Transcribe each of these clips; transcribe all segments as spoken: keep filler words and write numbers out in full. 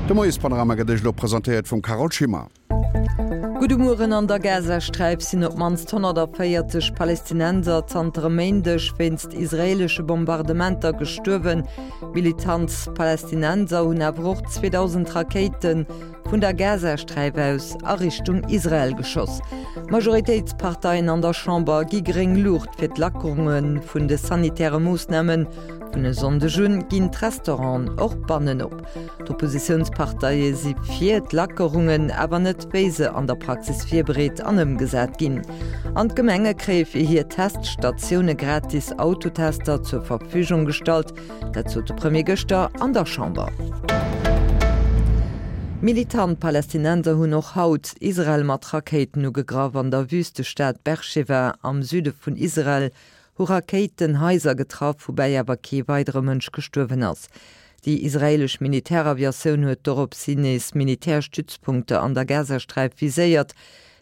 De Moiespanorama gëtt Iech elo presentéiert vum Carole Schimmer. Gudde Mueren, An der Gazasträif sinn op d'mannst honnertvéierzeg Palestinenser zanter e Méindeg wéinst israeelesche Bombardementer gestuerwen. Militant Palestinenser hunn awer och zweedausend Rakéite vun der Gazasträif aus a Richtung Israel geschoss. D'Majoritéitsparteien an der Chamber gi gréng Luucht fir d'Lackerunge vun de sanitäre Moossnamen. Vun e Sonndeg un ginn d'Restauranten och bannen op. D'Oppositiounsparteie si fir d'Lackerungen, awer net wéi se an der Praxis virbereet an ëmgesat ginn. An d'Gemenge kréie fir hir Teststatioune gratis Autotester zur Verfügung gestallt. Dat sot de Premier gëschter an der Chamber. Militant Palästinenser hunn och haut Israel mat Rakéiten ugegraff. An der Wüstestad Beersheva am Süde vun Israel hu Rakéiten Haiser getraff, woubäi awer kee weidere Mënsch gestuerwen ass. Déi israeelesch Militäraviatioun huet doropshi nees Militärstützpunkter an der Gazasträif viséiert.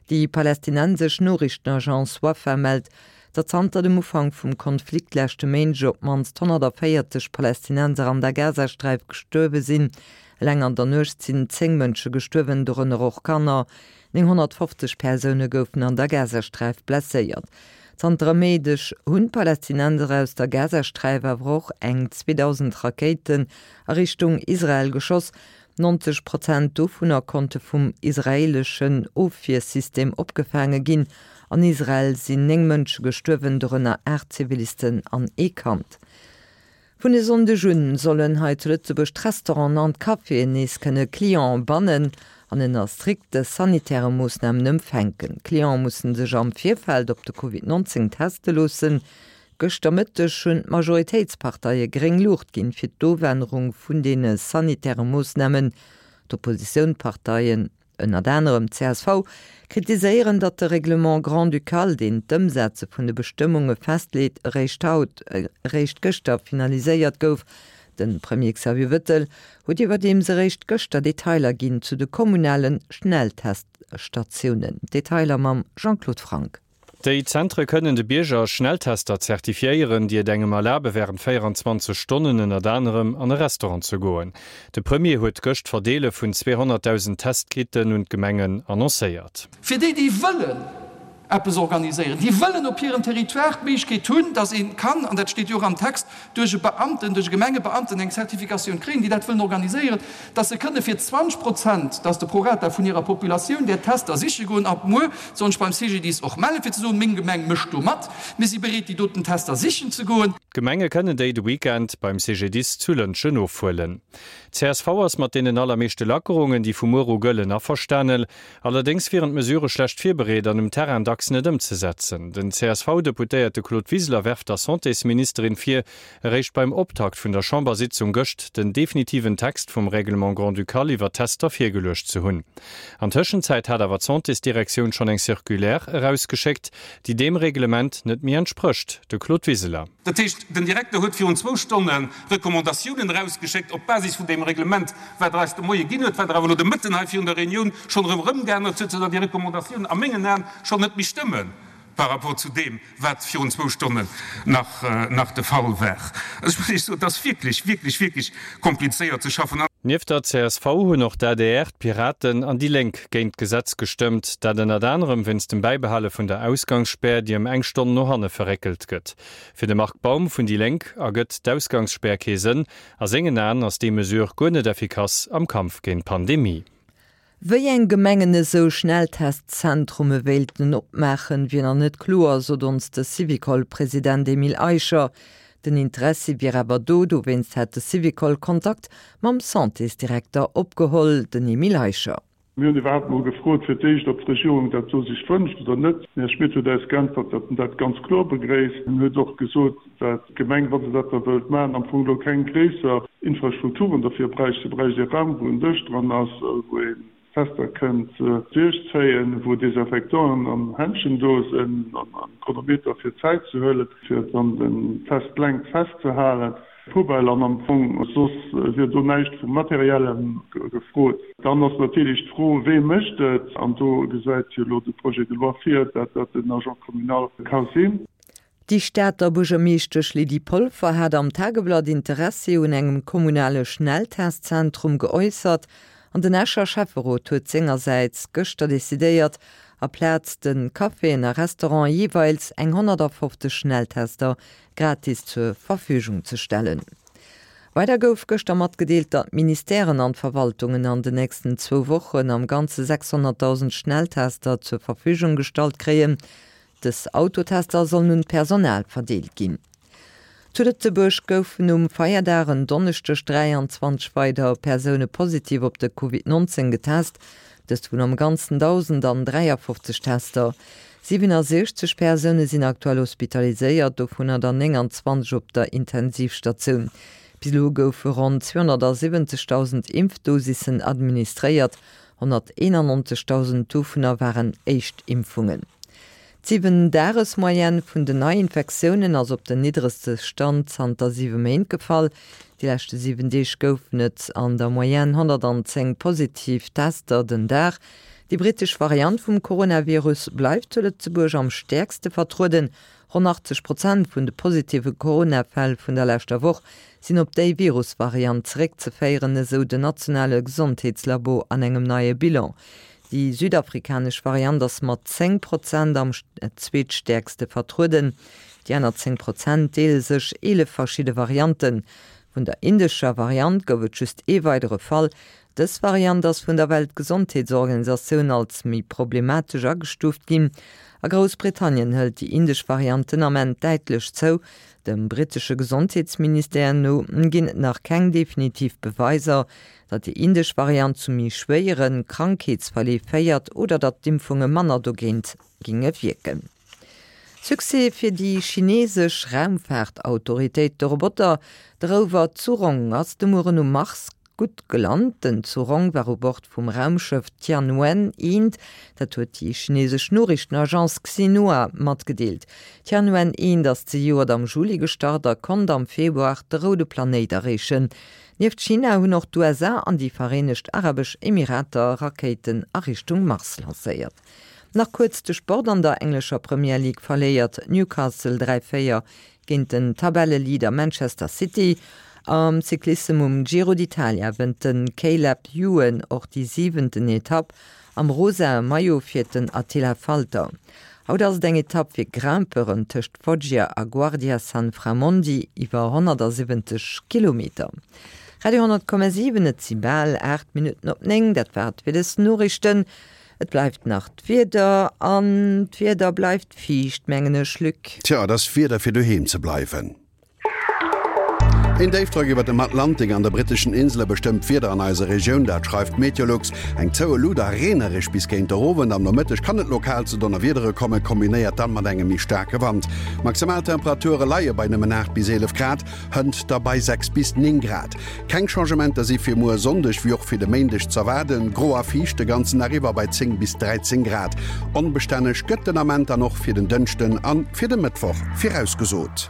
Déi palästinensesch Noriichtenagence Wafa mellt, datt zanter dem Ufank vum Konflikt leschte Méindeg op d'mannst honnertvéierzeg Palästinenser an der Gazasträif gestuerwe sinn. Eleng an der Nuecht sinn zéng Mënsche gestuerwen, dorënner och Kanner. Nénghonnertfofzeg Persoune goufen an der Gazasträif blesséiert. Zanter e Méideg hunn d'Palästinenser aus der Gazasträif awer och eng zweedausend Rakéiten a Richtung Israel geschoss. Neunzeg Prozent dovunner konnte vum israeeleschen Ofwiersystem opgefaange ginn. An Israel sinn néng Mënsche gestuerwen, dorënner aacht Zivilisten an ee Kand. Vun e Sonndeg un sollen hei zu Lëtzebuerg d'Restauranten an d'Caféen nees kënne Clienten bannen an ënner strikte sanitäre Moossnamen empfänken. D'Clienten mussen sech am Virfeld op de Covid neunzéng teste loossen. Gëschter Mëtteg hunn d'Majoritéitsparteie gréng Luucht ginn fir d'Ofännerung vun deene sanitäre Moossnamen. D'Oppositiounparteien, ënnert anerem csv, kritiséieren, datt de Règlement grand-ducal, deen d'Ëmsetze vun de Bestëmmunge festleet, eréischt haut, eréischt gëschter finaliséiert gouf. De Premier Xavier Bettel huet iwwerdeems eréischt gëschter Detailer ginn zu de kommunale Schnellteststatiounen. Detailer mam Jean-Claude Franck. Déi Zentre kënnen de Bierger Schnelltester zertifiéieren, déi et engem erlabe wärend véieranzwanzeg Stonnen ënnert anerem an e Restaurant ze goen. De Premier huet gëscht d'Verdeele vun zweehonnertdausend Testkitten un d'Gemengen annoncéiert. Fir déi, déi wëllen eppes organiséieren, déi wëllen op hirem Territoire d'Méiglechkeet hunn, dass ee kann, an dat steet jo och am Text, duerch e Beamten, duerch e Gemengebeamten eng Zertifikatioun kréien, déi dat wëllen organiséieren, dass se kënne fir zwanzeg Prozent, dat ass de Prorata vun hirer Populatioun, där Tester siche goen. Ab muer soll ech beim C G D I S och mellen, fir ze soen, meng Gemeng mécht do mat, mir si bereet, déi doten Tester sichen ze goen. D'Gemenge kënnen déi de Weekend beim C G D I S zu Lëntgen ofhuelen. Csv ass mat deenen allermeeschte Lackerungen, déi vu muer u gëllen, averstanen. Allerdéngs wieren d'Mesurë schlecht virbereet an um Terrain dacks net ëmzesetzen. Den C S V-Deputéierte Claude Wiseler werft der Santésministerin vir, eréischt beim Optakt vun der Chambersitzung gëscht den definitiven Text vum Règlement grand-ducal iwwer d'Tester virgeluecht ze hunn. An Tëschenzäit hat awer d'Santésdirektioun schonn eng Circulaire erausgeschéckt, déi deem Reglement net méi entsprécht. De Claude Wiseler. Dat heescht, den Direkter huet virun zwou Stonne Recommandatiounen erausgeschéckt op Basis vun deem Reglement, wat Der eis de Moie ginn huet, wat Der awer elo de Mëtten hei virun der Reunioun schonn erëm erëmgeännert huet, soudatt déi Recommandatiounen a mengen Aen schonn net méi stëmme par rapport zu deem, wat virun zwou Stonnen nach, nach de Fall war. Ech muss Iech soen, et ass wierklech, wierklech, wierklech komplizéiert ze schaffen. Nieft der C S V hunn och d'A D R, d'Piraten an déi Lénk géint d'Gesetz gestëmmt, dat ënnert anerem wéinst dem Bäibehale vun der Ausgangsspär, déi ëm eng Stonn no hanne verréckelt gëtt. Fir de Marc Baum vun déi Lénk ergëtt d'Ausgangsspär kee Sënn. A sengen Aen ass déi Mesure guer net effikass am Kampf géint d'Pandemie. Wéi eng Gemengen esou Schnelltestzentrume wéilten opmaachen, wier nach net kloer, sot ons de Syvicol-President Emile Eicher. Den Interessi wier awer do, dowéinst hätt de Syvicol Kontakt mam Santésdirekter opgeholl. Den Emile Eicher. Mir hunn iwwerhaapt mol gefrot fir d'éischt, ob d'Regierung dat do sech wënscht oder net. Den Här Schmit huet eis geäntwert, datt en dat ganz kloer begréisst. En huet och gesot, dat d'Gemeng, wa se dat da wëllt maachen, am Fong elo keng gréisser Infrastrukturen derfir bräicht. Se bräicht ee Raum, wou en Dësch dran ass, wou een Tester kënnt duerchzéien, wou Desinfectanten an Händschen do sinn an Chronometer fir d'Zäit ze huelen, fir dann den Test längt festzehalen, Poubelle an am Fong soss wier do näischt vu Materiellem gefrot. Dann ass natierlech d'Fro, wee mécht et? An do gesäit jo elo de Projet de loi vir, dat dat den Agent communal ka sinn. Déi Stater Buergermeeschtesch Lydie Polfer hat am Tageblatt Interessi un engem kommunale Schnelltestzentrum geäussert. An den Escher Schäfferot huet sengersäits gëschter decidéiert, aplaz de Caféen a Restaurante jeeweils eng honnertafofzeg Schnelltester gratis zur Verfügung ze stellen. Weider gouf gëschter matgedeelt, datt d'Ministèren an d'Verwaltungen an den nächsten zwou Wochen am Ganze sechshonnertdausend Schnelltester zur Verfügung gestallt kréien. Dës Autotester sollen un d'Personal verdeelt ginn. Zu Lëtzebuerg goufen um Feierdag en Donneschdeg dräianzwanzeg weider Persoune positiv op de Covid nonzéng getest, dëst vun am Ganzen dausendandräiafofzeg Tester. Siwenasiechzeg Persoune sinn aktuell hospitaliséiert, dovunner der nénganzwanzeg op der Intensivstatioun. Bis elo goufe ronn zweehonnertsiwwenzegdausend Impfdosissen administréiert, honnerteenannonzegdausend dovunner waren Éischtimpfungen. D'Siwen-Dages-Moyenne vun den Neiinfektiounen ass op den niddregste Stand zanter siwe Méint gefall. Déi leschte siwen Deeg goufen et an der Moyenne honnertanzéng positiv Tester den Dag. Déi brittesch Variant vum Coronavirus bleift zu Lëtzebuerg am stäerkste vertrueden. Ronn achtzeg Prozent vun de positive Corona-Fäll vun der leschter Woch sinn op déi Virusvariant zeréckzeféieren, esou den nationale Gesondheetslabo an engem neie Bilan. Déi südafrikanesch Variant ass mat zéng Prozent am zweetstäerkste vertrueden. Déi aner zéng Prozent deele sech eelef verschidde Varianten. Vun der indescher Variant gouf et just ee weidere Fall. Dës Variant ass vun der Weltgesondheetsorganisatioun als méi problematesch agestuuft ginn. A Groussbritannien hëlt déi indesch Variant den Ament däitlech zou. Dem brittesche Gesondheetsministère no ginn et nach keng definitiv Beweiser, datt déi indesch Variant zu méi schwéiere Krankheetsverleef féiert oder datt d'Impfunge manner dogéint ginge wierken. Succès fir déi chineesesch Raumfaartautoritéit, De Roboter, de Rover Zhurong ass de Mueren um Mars gutt gelant. Den Zhurong war u Bord vum Raumschëff Tianwen eent, dat huet déi chineesesch Noriichtenagence Xinhua matgedeelt. Tianwen eent ass zejoert am Juli gestart a konnt am Februar de roude Planéit erreechen. Nieft China hunn och d'USA an déi Vereenegt Arabesch Emirater Rakéiten a Richtung Mars lancéiert. Nach kuerz de Sport, An der englescher Premier League verléiert Newcastle dräi véier géint den Tabelleleader Manchester City. Am Cyclissem um Giro d'Italia wënnt de Caleb Ewan och déi siwenten Etapp. Am rosae Maillot fiert den Attila Valter. Haut ass et eng Etapp fir Grimpeuren tëscht Foggia a Guardia Sanframondi iwwer honnertsiwwenzeg Kilometer. Radio honnert Komma siwen, Et si bal aacht Minutten op néng. Dat war et fir dës Noriichten. Et bleift nach d'Wieder an d'Wieder bleift fiicht, mengen ech, Luc. Tja, et ass Wieder fir doheem ze bleiwen. Een Déifdrock iwwer dem Atlantik an de britteschen Insele bestëmmt d'Wieder an eiser Regioun, dat schreift Meteolux. Eng zoue Luut a reenereg bis géint der Owend. Am Nomëtteg kann et lokal zu Donnerwiedere kommen, kombinéiert dann mat engem méi staarke Wand. D'Maximaltemperature leie bei nëmmen aacht bis eelef Grad, hënt da bei sechs bis néng Grad. Keng Changementer si fir muer Sonndeg wéi och fir de Méindeg z'erwaarden, gro a fiicht de ganzen Dag iwwer bei zéng bis dräizéng Grad. Onbestänneg gëtt den Ament dann och fir den Dënschden a fir de Mëttwoch virausgesot.